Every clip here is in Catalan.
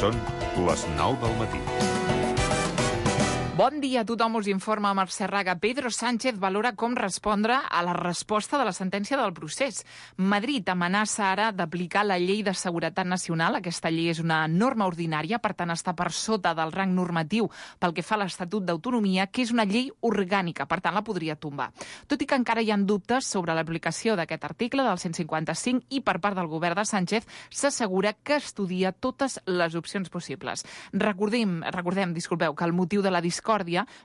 Són les 9 del matí. Bon dia a tothom, us informa Mercè Raga. Pedro Sánchez valora com respondre a la resposta de la sentència del procés. Madrid amenaça ara d'aplicar la llei de seguretat nacional. Aquesta llei és una norma ordinària, per tant està per sota del rang normatiu pel que fa a l'Estatut d'Autonomia, que és una llei orgànica, per tant la podria tombar. Tot i que encara hi ha dubtes sobre l'aplicació d'aquest article del 155 i per part del govern de Sánchez s'assegura que estudia totes les opcions possibles. Recordem, que el motiu de la discòrdia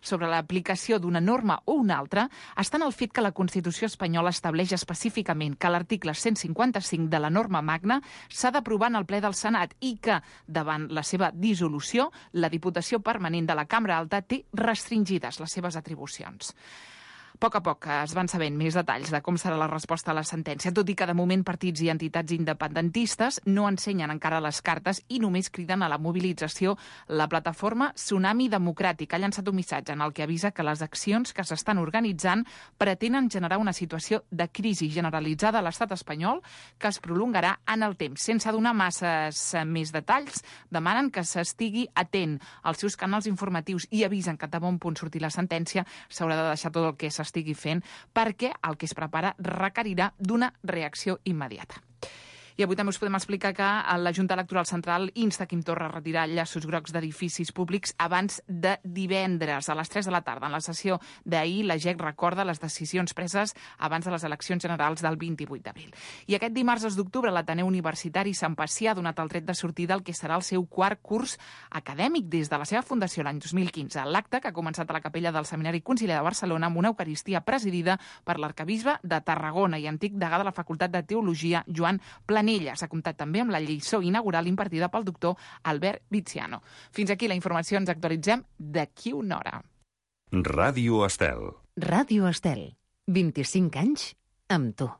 sobre l'aplicació d'una norma o una altra està en el fet que la Constitució espanyola estableix específicament que l'article 155 de la norma magna s'ha d'aprovar en el ple del Senat i que, davant la seva dissolució, la Diputació Permanent de la Cambra Alta té restringides les seves atribucions. A poc es van sabent més detalls de com serà la resposta a la sentència, tot i que de moment partits i entitats independentistes no ensenyen encara les cartes i només criden a la mobilització. La plataforma Tsunami Democràtic ha llançat un missatge en el que avisa que les accions que s'estan organitzant pretenen generar una situació de crisi generalitzada a l'estat espanyol que es prolongarà en el temps. Sense donar masses més detalls, demanen que s'estigui atent als seus canals informatius i avisen que de bon punt sortir la sentència s'haurà de deixar tot el que s'estigui fent perquè el que es prepara requerirà d'una reacció immediata. I avui també us podem explicar que la Junta Electoral Central insta Quim Torra a retirar llaços grocs d'edificis públics abans de divendres, a les 3 de la tarda. En la sessió d'ahir, la GEC recorda les decisions preses abans de les eleccions generals del 28 d'abril. I aquest dimarts 2 d'octubre, l'Ateneu Universitari Sant Pacià ha donat el tret de sortida al que serà el seu quart curs acadèmic des de la seva fundació l'any 2015. L'acte, que ha començat a la capella del Seminari Conciliar de Barcelona amb una eucaristia presidida per l'arquebisbe de Tarragona i antic degà de la Facultat de Teologia, Joan Planella. S'ha comptat també amb la lliçó inaugural impartida pel doctor Albert Viziano. Fins aquí la informació, ens actualitzem d'aquí una hora. Ràdio Estel. Ràdio Estel. 25 anys amb tu.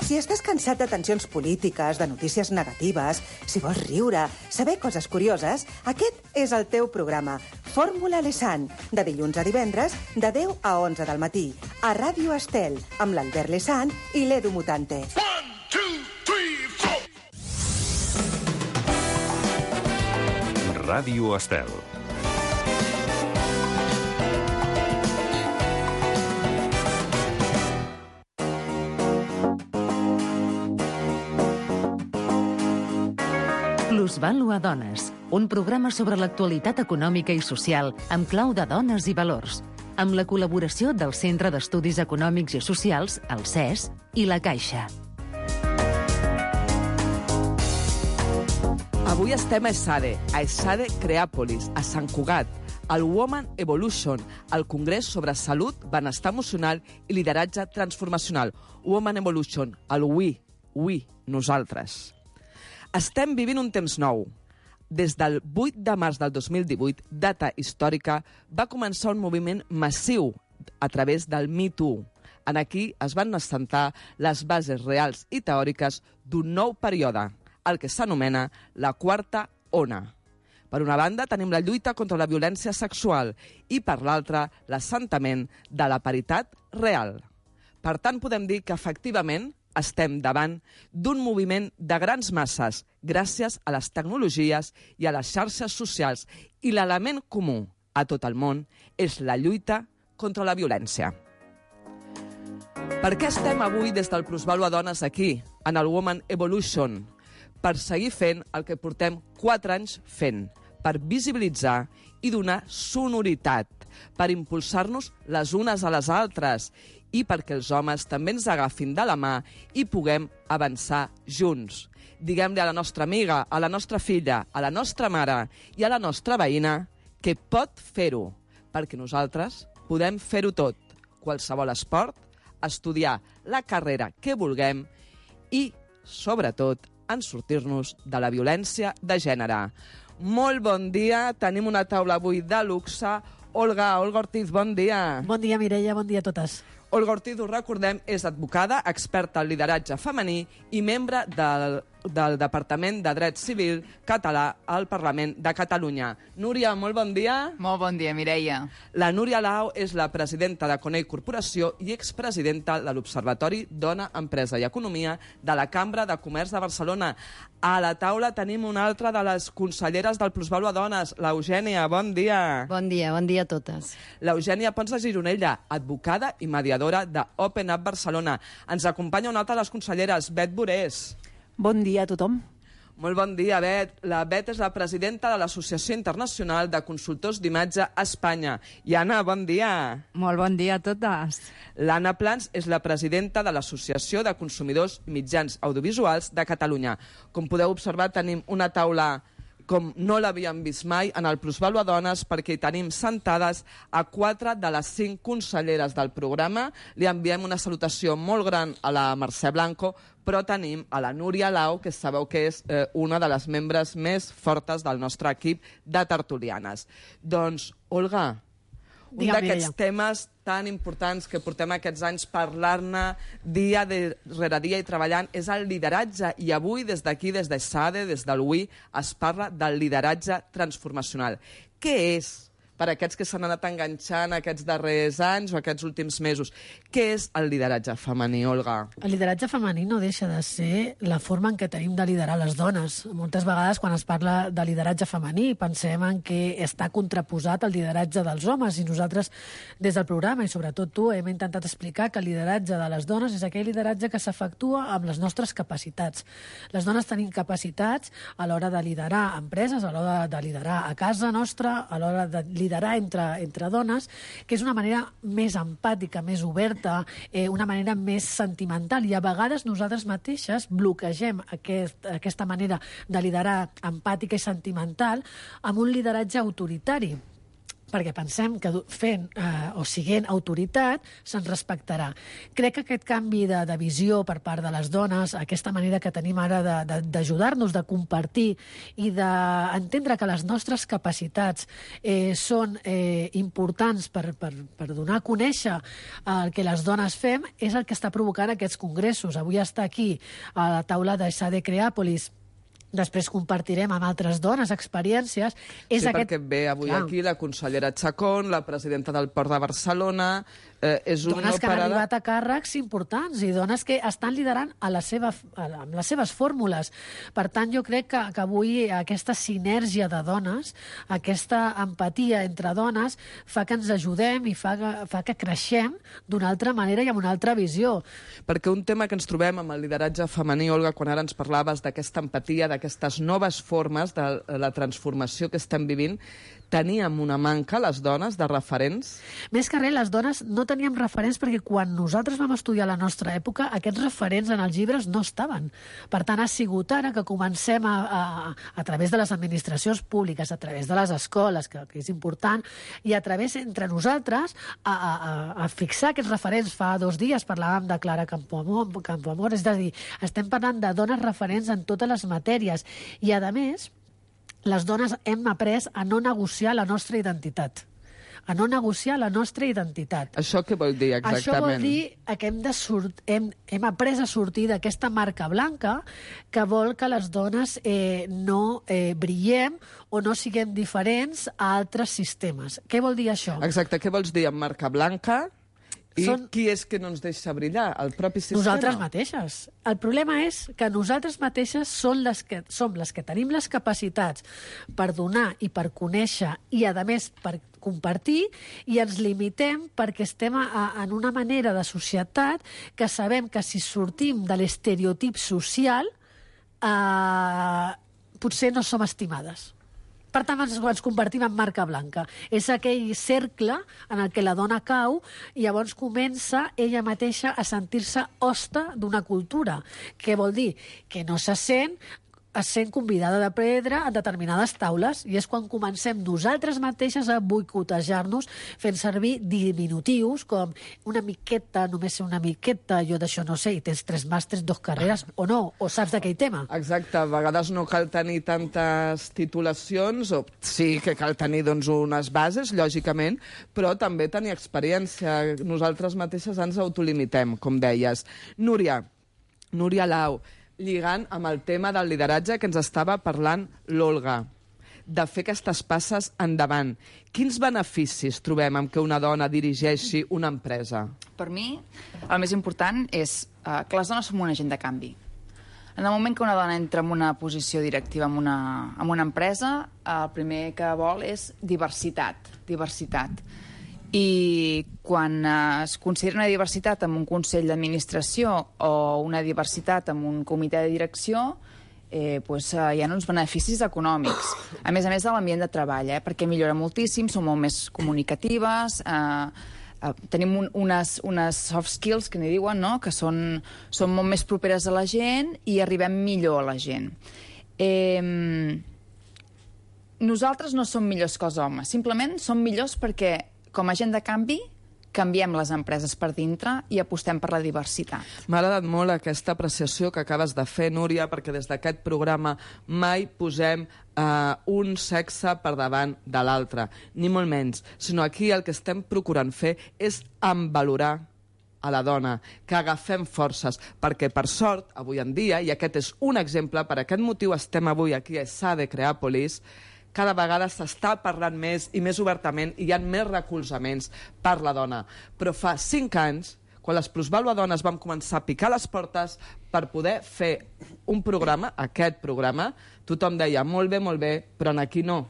Si estàs cansat de tensions polítiques, de notícies negatives, si vols riure, saber coses curioses, aquest és el teu programa. Fórmula Lesan, de dilluns a divendres, de 10 a 11 del matí, a Ràdio Estel, amb l'Albert Lesan i l'Edu Mutante. 1, 2, 3, 4. Ràdio Estel. Plusvàlua Dones, un programa sobre l'actualitat econòmica i social amb clau de dones i valors, amb la col·laboració del Centre d'Estudis Econòmics i Socials, el CES, i la Caixa. Avui estem a ESADE Creàpolis, a Sant Cugat, al Woman Evolution, al Congrés sobre Salut, Benestar Emocional i Lideratge Transformacional. Woman Evolution, el we, nosaltres. Estem vivint un temps nou. Des del 8 de març del 2018, data històrica, va començar un moviment massiu a través del Me Too. En aquí es van assentar les bases reals i teòriques d'un nou període, el que s'anomena la quarta ona. Per una banda, tenim la lluita contra la violència sexual i, per l'altra, l'assentament de la paritat real. Per tant, podem dir que, efectivament, estem davant d'un moviment de grans masses gràcies a les tecnologies i a les xarxes socials i l'element comú a tot el món és la lluita contra la violència. Per què estem avui des del Plusvàlua Dones aquí, en el Woman Evolution? Per seguir fent el que portem 4 anys fent, per visibilitzar i donar sonoritat, per impulsar-nos les unes a les altres i perquè els homes també ens agafin de la mà i puguem avançar junts. Diguem-li a la nostra amiga, a la nostra filla, a la nostra mare i a la nostra veïna que pot fer-ho, perquè nosaltres podem fer-ho tot. Qualsevol esport, estudiar la carrera que vulguem i, sobretot, en sortir-nos de la violència de gènere. Molt bon dia, tenim una taula avui de luxe. Olga Ortiz, bon dia. Bon dia, Mireia, bon dia a totes. Olga Ortiz, ho recordem, és advocada, experta en lideratge femení i membre del del Departament de Dret Civil català al Parlament de Catalunya. Núria, molt bon dia. Molt bon dia, Mireia. La Núria Lao és la presidenta de Conell Corporació i expresidenta de l'Observatori Dona, Empresa i Economia de la Cambra de Comerç de Barcelona. A la taula tenim una altra de les conselleres del Plusvàlua Dones, l'Eugènia. Bon dia. Bon dia a totes. L'Eugènia Pons de Gironella, advocada i mediadora de Open Up Barcelona. Ens acompanya una altra de les conselleres, Bet Borés. Bon dia a tothom. Molt bon dia, Bet. La Bet és la presidenta de l'Associació Internacional de Consultors d'Imatge a Espanya. I Anna, bon dia. Molt bon dia a totes. L'Anna Plans és la presidenta de l'Associació de Consumidors Mitjans Audiovisuals de Catalunya. Com podeu observar, tenim una taula com no l'havíem vist mai en el Plusvàlua Dones, perquè hi tenim sentades a 4 de les 5 conselleres del programa. Li enviem una salutació molt gran a la Mercè Blanco, però tenim a la Núria Lao, que sabeu que és una de les membres més fortes del nostre equip de tertulianes. Doncs, Olga, un d'aquests temes tan importants que portem aquests anys parlar-ne dia rere dia i treballant és el lideratge. I avui, des d'aquí, des d'ESADE, des del WI, es parla del lideratge transformacional. Què és, per aquests que s'han anat enganxant aquests darrers anys o aquests últims mesos, què és el lideratge femení, Olga? El lideratge femení no deixa de ser la forma en què tenim de liderar les dones. Moltes vegades, quan es parla de lideratge femení, pensem en que està contraposat al lideratge dels homes, i nosaltres, des del programa, i sobretot tu, hem intentat explicar que el lideratge de les dones és aquell lideratge que s'efectua amb les nostres capacitats. Les dones tenim capacitats a l'hora de liderar empreses, a l'hora de liderar a casa nostra, a l'hora de liderar entre dones, que és una manera més empàtica, més oberta, una manera més sentimental, i a vegades nosaltres mateixes bloquegem aquesta manera de liderar empàtica i sentimental amb un lideratge autoritari, perquè pensem que fent o siguent autoritat se'ns respectarà. Crec que aquest canvi de visió per part de les dones, aquesta manera que tenim ara d'ajudar-nos, de compartir i d'entendre que les nostres capacitats són importants per donar a conèixer el que les dones fem, és el que està provocant aquests congressos. Avui està aquí a la taula d'ESADE Creàpolis. Després compartirem amb altres dones experiències. Perquè ve avui aquí la consellera Chacón, la presidenta del Port de Barcelona. Dones que han arribat a càrrecs importants i dones que estan liderant amb les seves fórmules. Per tant, jo crec que avui aquesta sinergia de dones, aquesta empatia entre dones, fa que ens ajudem i fa que creixem d'una altra manera i amb una altra visió. Perquè un tema que ens trobem amb el lideratge femení, Olga, quan ara ens parlaves d'aquesta empatia, d'aquestes noves formes de la transformació que estem vivint, teníem una manca, les dones, de referents? Més que res, les dones no teníem referents perquè quan nosaltres vam estudiar la nostra època, aquests referents en els llibres no estaven. Per tant, ha sigut ara que comencem a través de les administracions públiques, a través de les escoles, que és important, i a través entre nosaltres a fixar aquests referents. Fa 2 dies parlàvem de Clara Campoamor, és a dir, estem parlant de dones referents en totes les matèries. I, a més, les dones hem après a no negociar la nostra identitat. A no negociar la nostra identitat. Això què vol dir, exactament? Això vol dir que hem après a sortir d'aquesta marca blanca que vol que les dones no brillem o no siguem diferents a altres sistemes. Què vol dir això? Exacte, què vols dir amb marca blanca? I qui és que no ens deixa brillar? El propi sistema? Nosaltres mateixes. El problema és que nosaltres mateixes som les que tenim les capacitats per donar i per conèixer i, a més, per compartir, i ens limitem perquè estem en una manera de societat que sabem que si sortim de l'estereotip social potser no som estimades. Per tant, ens convertim en marca blanca. És aquell cercle en el que la dona cau i llavors comença ella mateixa a sentir-se hoste d'una cultura. Què vol dir? Que no se sent convidada de pedra a determinades taules, i és quan comencem nosaltres mateixes a boicotejar-nos fent servir diminutius com una miqueta, només ser una miqueta, jo d'això no sé, i tens 3 màsters, 2 carreres, o no, o saps d'aquell tema. Exacte, a vegades no cal tenir tantes titulacions, o sí que cal tenir doncs, unes bases, lògicament, però també tenir experiència. Nosaltres mateixes ens autolimitem, com deies. Núria Lao, lligant amb el tema del lideratge que ens estava parlant l'Olga, de fer aquestes passes endavant. Quins beneficis trobem amb que una dona dirigeixi una empresa? Per mi, el més important és que les dones som un agent de canvi. En el moment que una dona entra en una posició directiva en una empresa, el primer que vol és diversitat. I quan es considera una diversitat en un consell d'administració o una diversitat en un comitè de direcció, hi ha uns beneficis econòmics. A més de l'ambient de treball, perquè millora moltíssim, som molt més comunicatives, tenim unes soft skills, que n'hi diuen, no? Que són molt més properes a la gent i arribem millor a la gent. Nosaltres no som millors que els homes, simplement som millors perquè, com a agent de canvi, canviem les empreses per dintre i apostem per la diversitat. M'ha agradat molt aquesta apreciació que acabes de fer, Núria, perquè des d'aquest programa mai posem un sexe per davant de l'altre, ni molt menys, sinó aquí el que estem procurant fer és envalorar a la dona, que agafem forces, perquè per sort, avui en dia, i aquest és un exemple, per aquest motiu estem avui aquí a SADE Creàpolis, cada vegada s'està parlant més i més obertament i hi ha més recolzaments per la dona. Però fa 5 anys, quan les plusvaluadones vam començar a picar les portes per poder fer un programa, aquest programa, tothom deia molt bé, però aquí no.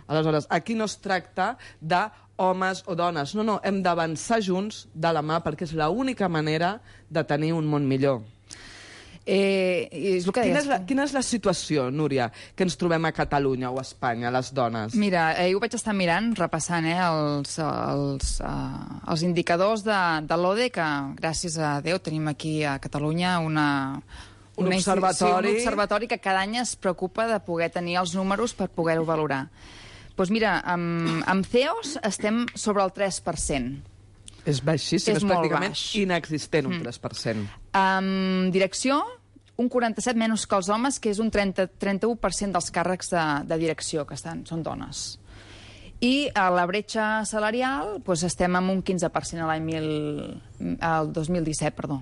Aleshores, aquí no es tracta d'homes o dones. No, hem d'avançar junts de la mà perquè és l'única manera de tenir un món millor. És el que deies. Quina és la situació, Núria, que ens trobem a Catalunya o a Espanya, les dones? Mira, ho vaig estar mirant, repassant els indicadors de l'ODE, que gràcies a Déu tenim aquí a Catalunya un observatori que cada any es preocupa de poder tenir els números per poder-ho valorar. Doncs mira, amb CEOs estem sobre el 3%. És baixíssim, és pràcticament baix. Inexistent, un 3%. Direcció, un 47 menys que els homes, que és un 31% dels càrrecs de direcció, que són dones. I a la bretxa salarial estem amb un 15% el 2017, perdó.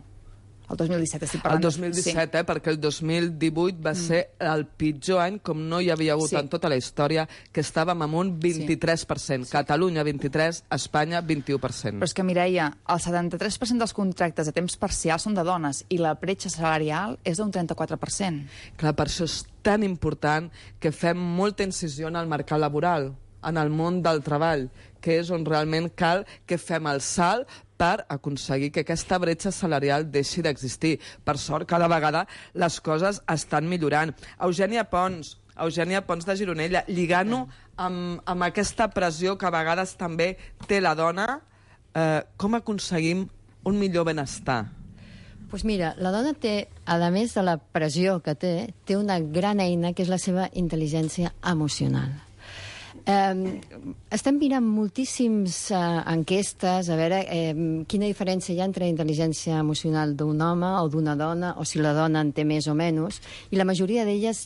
El 2017 estic parlant. El 2017, perquè el 2018 va ser el pitjor any, com no hi havia hagut en tota la història, que estàvem amb un 23%. Catalunya, 23%, Espanya, 21%. Però és que, Mireia, el 73% dels contractes a temps parcial són de dones i la bretxa salarial és d'un 34%. Clar, per això és tan important que fem molta incisió en el mercat laboral, en el món del treball, que és on realment cal que fem el salt per aconseguir que aquesta bretxa salarial deixi d'existir. Per sort, cada vegada les coses estan millorant. Eugènia Pons de Gironella, lligant-ho amb aquesta pressió que a vegades també té la dona, com aconseguim un millor benestar? Doncs mira, la dona té, a més de la pressió que té una gran eina que és la seva intel·ligència emocional. Estem mirant moltíssims enquestes a veure quina diferència hi ha entre la intel·ligència emocional d'un home o d'una dona, o si la dona en té més o menys, i la majoria d'elles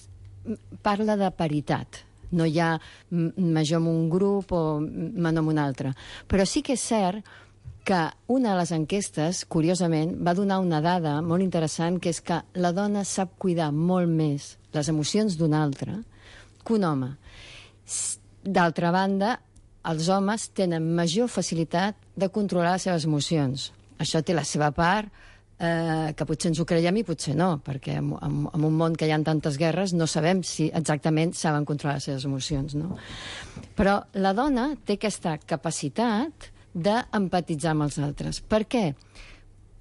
parla de paritat. No hi ha major en un grup o menor en un altre. Però sí que és cert que una de les enquestes, curiosament, va donar una dada molt interessant, que és que la dona sap cuidar molt més les emocions d'un altre que un home. D'altra banda, els homes tenen major facilitat de controlar les seves emocions. Això té la seva part, que potser ens ho creiem i potser no, perquè en un món que hi ha tantes guerres no sabem si exactament saben controlar les seves emocions, no? Però la dona té aquesta capacitat d'empatitzar amb els altres. Per què?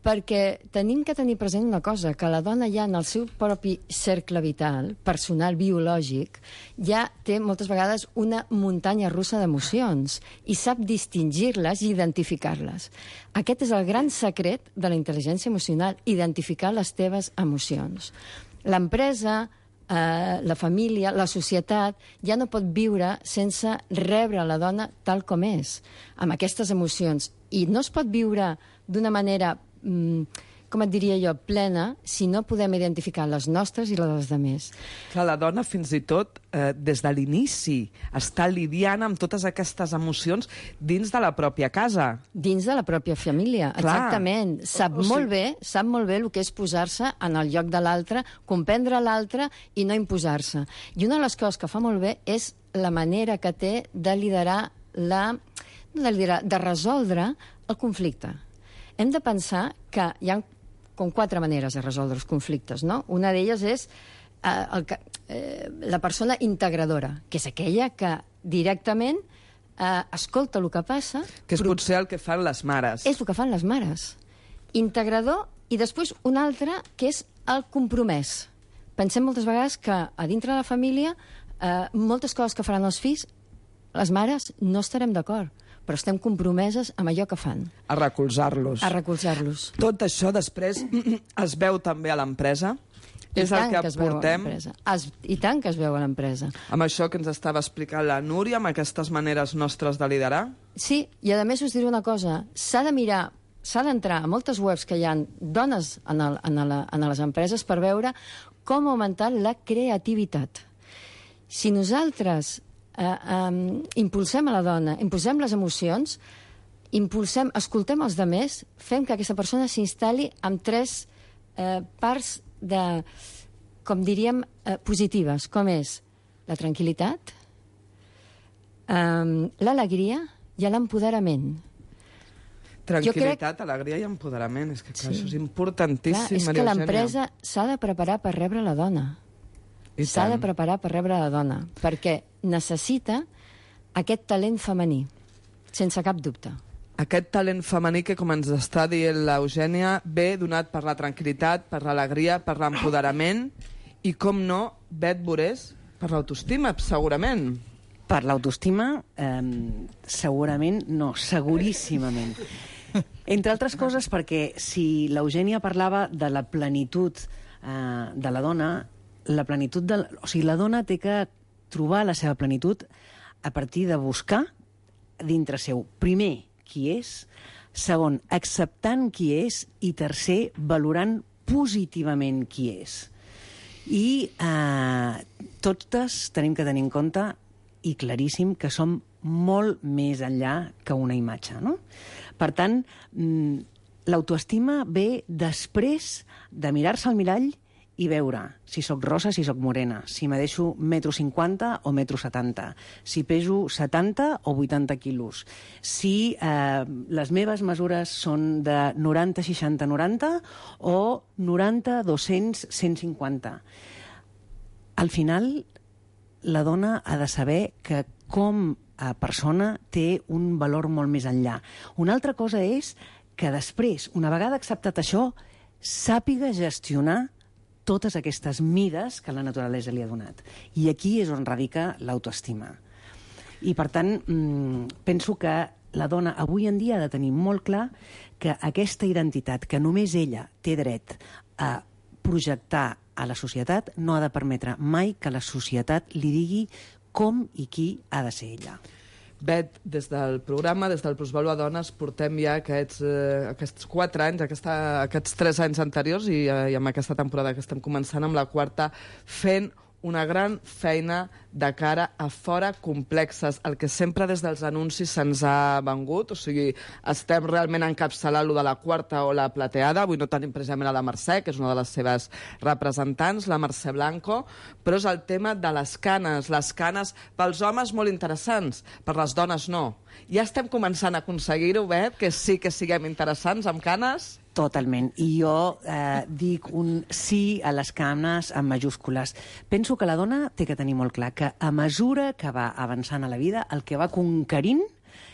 Perquè tenim que tenir present una cosa, que la dona ja en el seu propi cercle vital, personal, biològic, ja té moltes vegades una muntanya russa d'emocions i sap distingir-les i identificar-les. Aquest és el gran secret de la intel·ligència emocional, identificar les teves emocions. L'empresa, la família, la societat, ja no pot viure sense rebre la dona tal com és, amb aquestes emocions. I no es pot viure d'una manera com et diria jo, plena, si no podem identificar les nostres i les dels altres. Clar, la dona fins i tot, des de l'inici, està lidiant amb totes aquestes emocions dins de la pròpia casa. Dins de la pròpia família, exactament. Sap molt bé el que és posar-se en el lloc de l'altre, comprendre l'altre i no imposar-se. I una de les coses que fa molt bé és la manera que té de liderar de resoldre el conflicte. Hem de pensar que hi ha com 4 maneres de resoldre els conflictes, no? Una d'elles és la persona integradora, que és aquella que directament escolta el que passa... Que és potser el que fan les mares. És el que fan les mares. Integrador, i després un altre, que és el compromès. Pensem moltes vegades que a dintre de la família moltes coses que faran els fills, les mares no estarem d'acord, però estem compromeses amb allò que fan. A recolzar-los. A recolzar-los. Tot això després es veu també a l'empresa. És el que portem. I tant que es veu a l'empresa. Amb això que ens estava explicant la Núria, amb aquestes maneres nostres de liderar? Sí, i a més us diré una cosa. S'ha d'entrar a moltes webs que hi ha dones en les empreses per veure com augmentar la creativitat. Si nosaltres impulsem a la dona, impulsem les emocions, escoltem els altres, fem que aquesta persona s'instal·li amb 3 parts com diríem, positives, com és la tranquil·litat, l'alegria i l'empoderament. Tranquil·litat, alegria i empoderament. És que clar, això és importantíssim, és que l'empresa s'ha de preparar per rebre la dona. S'ha de preparar per rebre la dona, perquè necessita aquest talent femení, sense cap dubte. Aquest talent femení que, com ens està dient l'Eugènia, ve donat per la tranquil·litat, per l'alegria, per l'empoderament i, com no, Bet Borés, per l'autoestima, segurament. Per l'autoestima, segurament no, seguríssimament. Entre altres coses perquè si l'Eugènia parlava de la plenitud de la dona, la dona té que trobar la seva plenitud a partir de buscar dintre seu, primer, qui és, segon, acceptant qui és i tercer, valorant positivament qui és. I totes tenim que tenir en compte i claríssim que som molt més enllà que una imatge, no? Per tant, l'autoestima ve després de mirar-se al mirall i veure si sóc rosa, si sóc morena, si me deixo 1,50 m o 1,70 m, si peso 70 o 80 quilos, si les meves mesures són de 90, 60, 90 o 90, 200, 150. Al final, la dona ha de saber que com a persona té un valor molt més enllà. Una altra cosa és que després, una vegada acceptat això, sàpiga gestionar totes aquestes mides que la naturalesa li ha donat. I aquí és on radica l'autoestima. I, per tant, penso que la dona avui en dia ha de tenir molt clar que aquesta identitat que només ella té dret a projectar a la societat no ha de permetre mai que la societat li digui com i qui ha de ser ella. Bet, des del programa, des del Plusvàlua Dones, portem ja aquests 4 anys, aquests 3 anys anteriors i amb aquesta temporada que estem començant amb la 4ª, fent una gran feina de cara a fora complexes, el que sempre des dels anuncis se'ns ha vengut, o sigui, estem realment encapçalant lo de la 4ª o la plateada, avui no tenim precisament a la Mercè, que és una de les seves representants, la Mercè Blanco, però és el tema de les canes pels homes molt interessants, per les dones no. Ja estem començant a aconseguir-ho, Bet, que sí que siguem interessants amb canes? Totalment. I jo dic un sí a les canes en majúscules. Penso que la dona té que tenir molt clar que a mesura que va avançant a la vida, el que va conquerint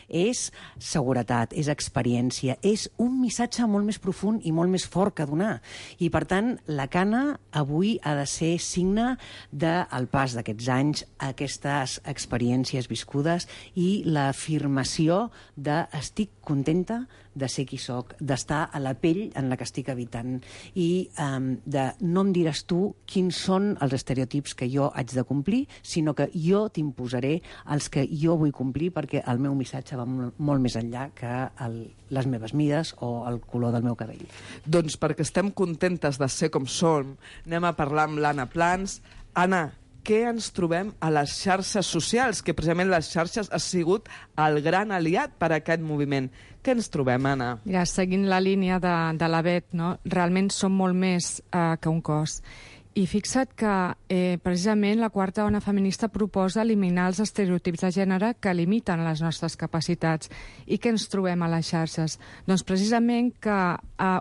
és seguretat, és experiència, és un missatge molt més profund i molt més fort que donar. I, per tant, la cana avui ha de ser signe del pas d'aquests anys, aquestes experiències viscudes i l'afirmació de estic contenta de ser qui soc, d'estar a la pell en la que estic habitant i de no em diràs tu quins són els estereotips que jo haig de complir, sinó que jo t'imposaré els que jo vull complir perquè el meu missatge va molt més enllà que les meves mides o el color del meu cabell. Doncs perquè estem contentes de ser com som, anem a parlar amb l'Anna Plans. Anna, què ens trobem a les xarxes socials? Que precisament les xarxes ha sigut el gran aliat per a aquest moviment. Què ens trobem, Anna? Mira, seguint la línia de la Bet, no? Realment som molt més que un cos. I fixa't que precisament la quarta ona feminista proposa eliminar els estereotips de gènere que limiten les nostres capacitats. I què ens trobem a les xarxes? Doncs precisament que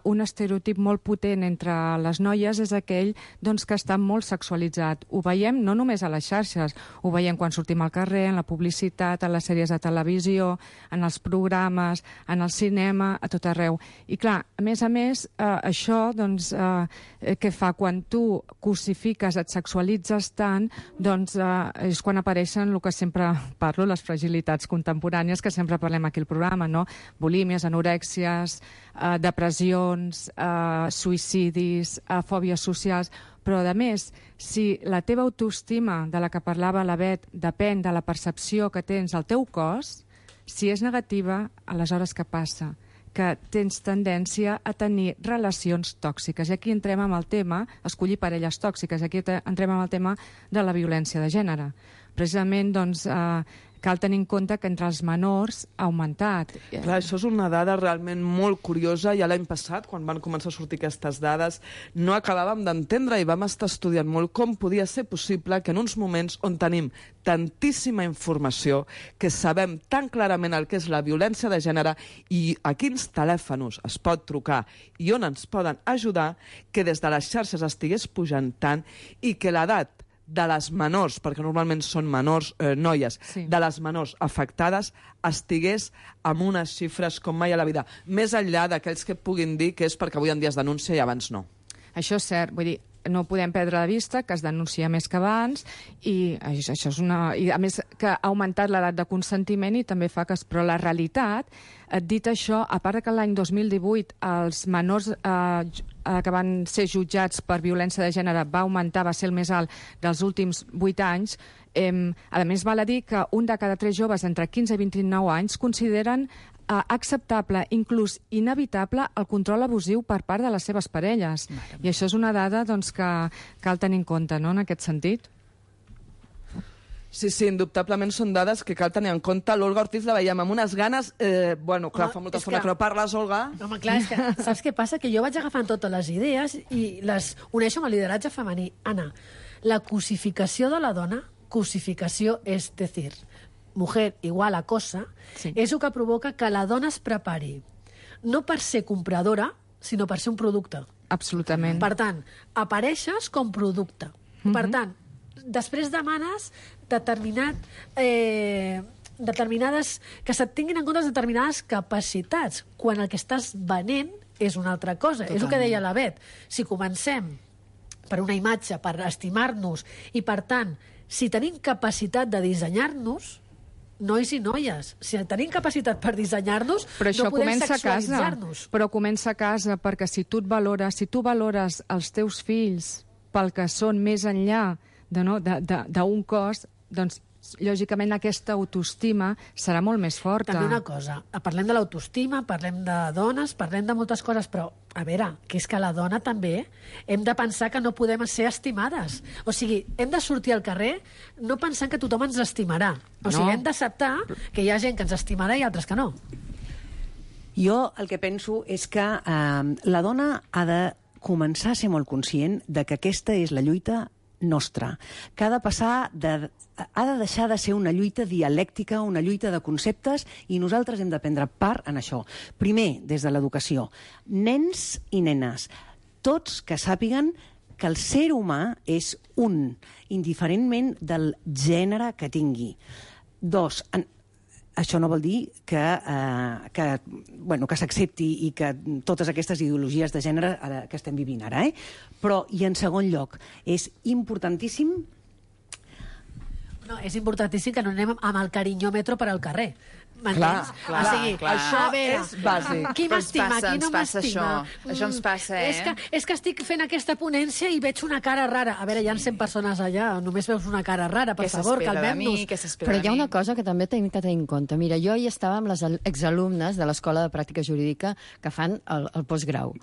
un estereotip molt potent entre les noies és aquell que està molt sexualitzat. Ho veiem no només a les xarxes, ho veiem quan sortim al carrer, en la publicitat, en les sèries de televisió, en els programes, en el cinema, a tot arreu. I clar, a més, això què fa? Quan tu cosifiques, et sexualitzes tant, doncs és quan apareixen el que sempre parlo, les fragilitats contemporànies, que sempre parlem aquí al programa, no? Bulímies, anorèxies, depressions, suïcidis, fòbies socials. Però, a més, si la teva autoestima, de la que parlava la Bet, depèn de la percepció que tens al teu cos, si és negativa, aleshores què passa? Que tens tendència a tenir relacions tòxiques. I aquí entrem amb el tema, escollir parelles tòxiques, aquí entrem amb el tema de la violència de gènere. Precisament, cal tenir en compte que entre els menors ha augmentat. Clar, això és una dada realment molt curiosa. Ja l'any passat, quan van començar a sortir aquestes dades, no acabàvem d'entendre i vam estar estudiant molt com podia ser possible que en uns moments on tenim tantíssima informació, que sabem tan clarament el que és la violència de gènere i a quins telèfons es pot trucar i on ens poden ajudar, que des de les xarxes estigués pujant tant i que l'edat de les menors, perquè normalment són menors, noies, de les menors afectades, estigués amb unes xifres com mai a la vida. Més enllà d'aquells que puguin dir que és perquè avui en dia es denuncia i abans no. Això és cert, vull dir, no podem perdre de vista que es denuncia més que abans i això és i a més que ha augmentat l'edat de consentiment i també fa que... Però la realitat, dit això, a part que l'any 2018 els menors que van ser jutjats per violència de gènere va augmentar, va ser el més alt dels últims 8 anys, a més val a dir que un de cada 3 joves entre 15 i 29 anys consideren acceptable, inclús inevitable, el control abusiu per part de les seves parelles. I això és una dada que cal tenir en compte, no?, en aquest sentit. Sí, indubtablement són dades que cal tenir en compte. L'Olga Ortiz la veiem amb unes ganes... clar, fa molta estona que no parles, Olga. Home, clar, és que saps què passa? Que jo vaig agafant totes les idees i les uneixo amb el lideratge femení. Anna, la cosificació de la dona, cosificació és decir, mujer igual a cosa, és el que provoca que la dona es prepari no per ser compradora, sinó per ser un producte. Absolutament. Per tant, apareixes com producte. Per tant, després demanes determinades... que se't tinguin en compte determinades capacitats, quan el que estàs venent és una altra cosa. Totalment. És el que deia la Bet. Si comencem per una imatge, per estimar-nos, i per tant, si tenim capacitat de dissenyar-nos, nois i noies, si tenim capacitat per dissenyar-nos, no podem sexualitzar-nos. Però comença a casa, perquè si tu valores els teus fills pel que són més enllà d'un cos, doncs lògicament aquesta autoestima serà molt més forta. També una cosa, parlem de l'autoestima, parlem de dones, parlem de moltes coses, però a veure, que és que la dona també hem de pensar que no podem ser estimades. O sigui, hem de sortir al carrer no pensant que tothom ens estimarà. O sigui, hem d'acceptar que hi ha gent que ens estimarà i altres que no. Jo el que penso és que la dona ha de començar a ser molt conscient de que aquesta és la lluita nostra, que ha de deixar de ser una lluita dialèctica, una lluita de conceptes, i nosaltres hem de prendre part en això. Primer, des de l'educació. Nens i nenes, tots que sàpiguen que el ser humà és un, indiferentment del gènere que tingui. 2, això no vol dir que s'accepti i que totes aquestes ideologies de gènere que estem vivint ara, Però, i en segon lloc, és importantíssim... No, és importantíssim que no anem amb el carinyòmetre per al carrer. M'entens? Clar, O sigui, clar. Això a veure, és bàsic. qui m'estima, qui no m'estima. Això ens passa, És que estic fent aquesta ponència i veig una cara rara. A veure, hi ha 100 persones allà, només veus una cara rara, per favor, calmem-nos. Però hi ha una cosa que també tenim que tenir en compte. Mira, jo hi estava amb les exalumnes de l'Escola de Pràctica Jurídica que fan el postgrau.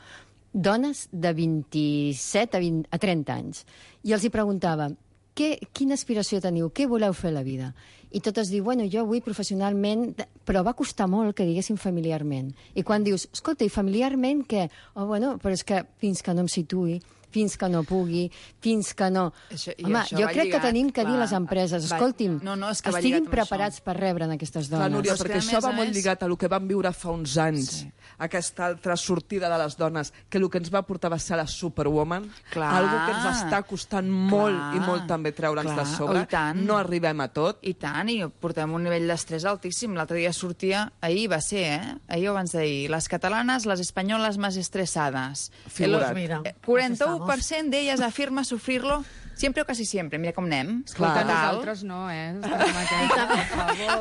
Dones de 27 a 30 anys. I els hi preguntava, quina aspiració teniu? Què voleu fer a la vida? I totes diuen, bueno, jo vull professionalment, però va costar molt que diguessin familiarment. I quan dius, escolta, i familiarment què? Oh, bueno, però és que fins que no em situï, fins que no pugui, fins que no... Home, jo crec que tenim que dir a les empreses, escolti'm, estiguin preparats per rebre aquestes dones. Clar, Núria, perquè això va molt lligat a el que vam viure fa uns anys, aquesta altra sortida de les dones, que el que ens va portar va ser la Superwoman, algo que ens està costant molt i molt també treure'ns de sobre. No arribem a tot. I tant, i portem un nivell d'estrès altíssim. L'altre dia sortia, ahir va ser, ahir o abans d'ahir, les catalanes, les espanyoles más estresades. Figurat. 41% d'elles afirma sufrir-lo siempre o casi siempre. Mira com anem. Escolta, nosaltres no,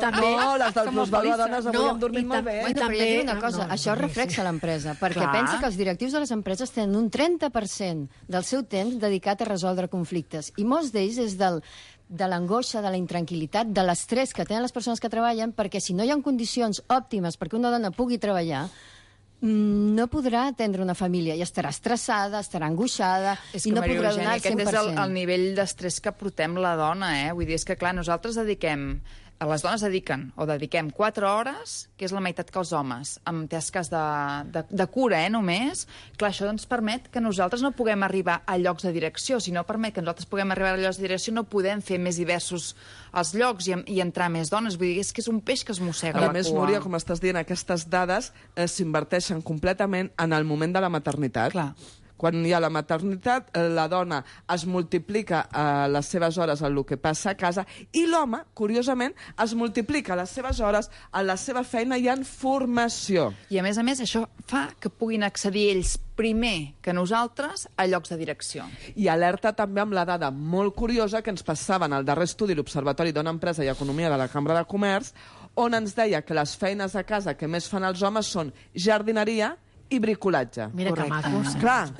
També... No, les del Plusvalor Dones avui hem dormit molt bé. Bueno, però jo dic una cosa, això reflexa l'empresa, perquè pensa que els directius de les empreses tenen un 30% del seu temps dedicat a resoldre conflictes, i molts d'ells és de l'angoixa, de la intranquil·litat, de l'estrès que tenen les persones que treballen, perquè si no hi ha condicions òptimes perquè una dona pugui treballar, no podrà atendre una família i estarà estressada, estarà angoixada i no podrà donar el 100%. Aquest és el nivell d'estrès que portem la dona, Vull dir, és que, clar, nosaltres les dones dediquem 4 hores, que és la meitat que els homes, amb tasques de cura, només. Clar, això ens permet que nosaltres no puguem arribar a llocs de direcció. Si no permet que nosaltres puguem arribar a llocs de direcció, no podem fer més diversos els llocs i entrar més dones. Vull dir, és que és un peix que es mossega la cua. A més, Núria, com estàs dient, aquestes dades s'inverteixen completament en el moment de la maternitat. Clar. Quan hi ha la maternitat, la dona es multiplica les seves hores en el que passa a casa i l'home, curiosament, es multiplica les seves hores en la seva feina i en formació. I, a més, això fa que puguin accedir ells primer que nosaltres a llocs de direcció. I alerta també amb la dada molt curiosa que ens passava en el darrer estudi l'Observatori Dona, Empresa i Economia de la Cambra de Comerç, on ens deia que les feines a casa que més fan els homes són jardineria i bricolatge. Mira que macos. Clar,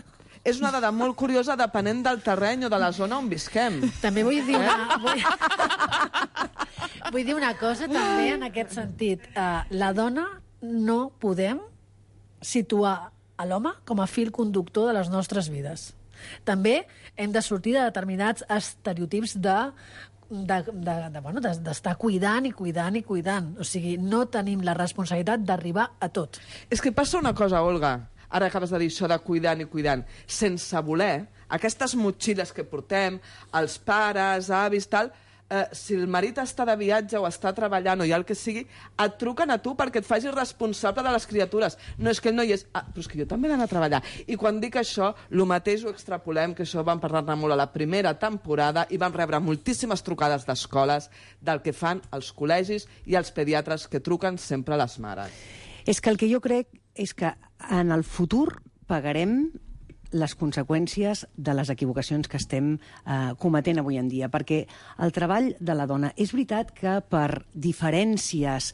és una dada molt curiosa depenent del terreny o de la zona on visquem. També vull dir vull dir una cosa també en aquest sentit. La dona no podem situar a l'home com a fil conductor de les nostres vides. També hem de sortir de determinats estereotips d'estar cuidant i cuidant i cuidant. O sigui, no tenim la responsabilitat d'arribar a tot. És que passa una cosa, Olga, ara acabes de dir això de cuidant i cuidant, sense voler, aquestes motxilles que portem, els pares, avis, tal, si el marit està de viatge o està treballant o hi ha el que sigui, et truquen a tu perquè et facis responsable de les criatures. No és que el noi és... però és que jo també he d'anar a treballar. I quan dic això, el mateix ho extrapolem, que això vam parlar-ne molt a la primera temporada i vam rebre moltíssimes trucades d'escoles del que fan els col·legis i els pediatres que truquen sempre a les mares. És que el que jo crec és que en el futur pagarem les conseqüències de les equivocacions que estem cometent avui en dia, perquè el treball de la dona, és veritat que per diferències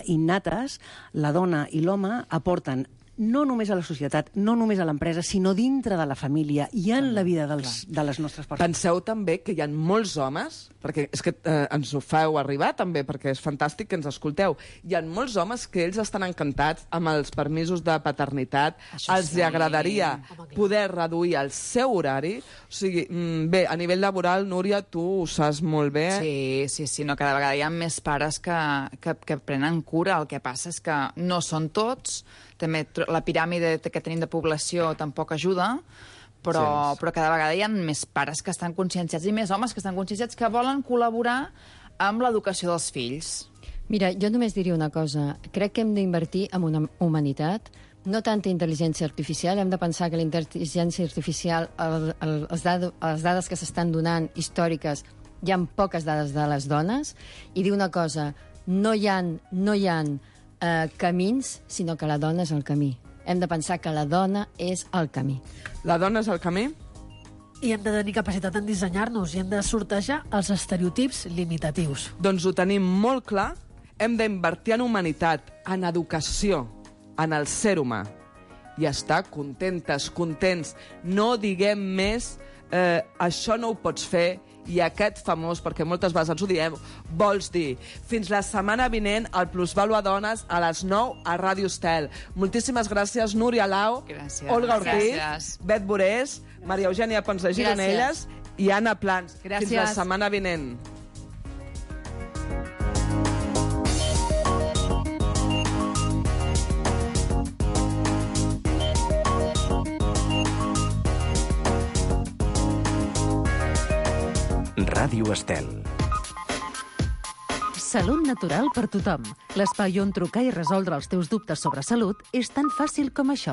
innates, la dona i l'home aporten no només a la societat, no només a l'empresa, sinó dintre de la família i en la vida de les nostres persones. Penseu també que hi ha molts homes, perquè és que ens ho feu arribar també, perquè és fantàstic que ens escolteu, hi ha molts homes que ells estan encantats amb els permisos de paternitat, els agradaria poder reduir el seu horari. O sigui, bé, a nivell laboral, Núria, tu ho saps molt bé. Sí, no, cada vegada hi ha més pares que prenen cura. El que passa és que no són tots, també la piràmide que tenim de població tampoc ajuda, però cada vegada hi ha més pares que estan conscienciats i més homes que estan conscienciats que volen col·laborar amb l'educació dels fills. Mira, jo només diria una cosa. Crec que hem d'invertir en una humanitat, no tanta intel·ligència artificial. Hem de pensar que la intel·ligència artificial, les dades que s'estan donant històriques, hi ha poques dades de les dones, i dir una cosa, no hi ha camins, sinó que la dona és el camí. Hem de pensar que la dona és el camí. La dona és el camí? I hem de tenir capacitat en dissenyar-nos i hem de sortejar els estereotips limitatius. Doncs ho tenim molt clar. hem d'invertir en humanitat, en educació, en el ser humà. I estar contentes, contents. No diguem més, això no ho pots fer, i aquest famós, perquè moltes vegades ens ho diem, vols dir. Fins la setmana vinent, el Plusvàlua Dones, a les 9, a Ràdio Estel. Moltíssimes gràcies, Núria Lau, Olga Ortiz, Bet Borés, Maria Eugènia Pons de Gironelles i Anna Plans. Fins la setmana vinent. Ràdio Estel. Salut natural per tothom. L'espai on trucar i resoldre els teus dubtes sobre salut és tan fàcil com això.